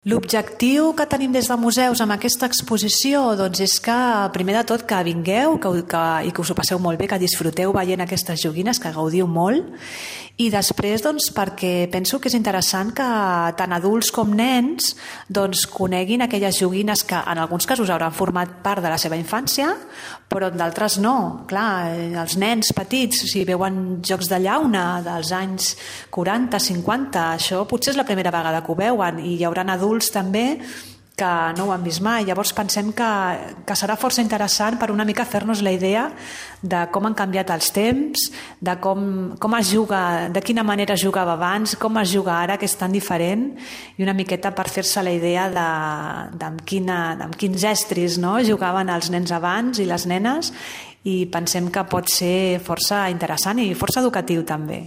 L'objectiu que tenim des de museus amb aquesta exposició doncs és que, primer de tot, que vingueu i que us ho passeu molt bé, que disfruteu veient aquestes joguines, que gaudiu molt, i després doncs, perquè penso que és interessant que tant adults com nens doncs, coneguin aquelles joguines que en alguns casos hauran format part de la seva infància, però en d'altres no. Clar, els nens petits, si veuen jocs de llauna dels anys 40, 50, això potser és la primera vegada que ho veuen, i hi haurà adults també que no ho han vist mai. Llavors pensem que serà força interessant per una mica fer-nos la idea de com han canviat els temps, de com es juga, de quina manera es jugava abans, com es juga ara, que és tan diferent, i una miqueta per fer-se la idea amb quins estris jugaven els nens abans i les nenes, i pensem que pot ser força interessant i força educatiu també.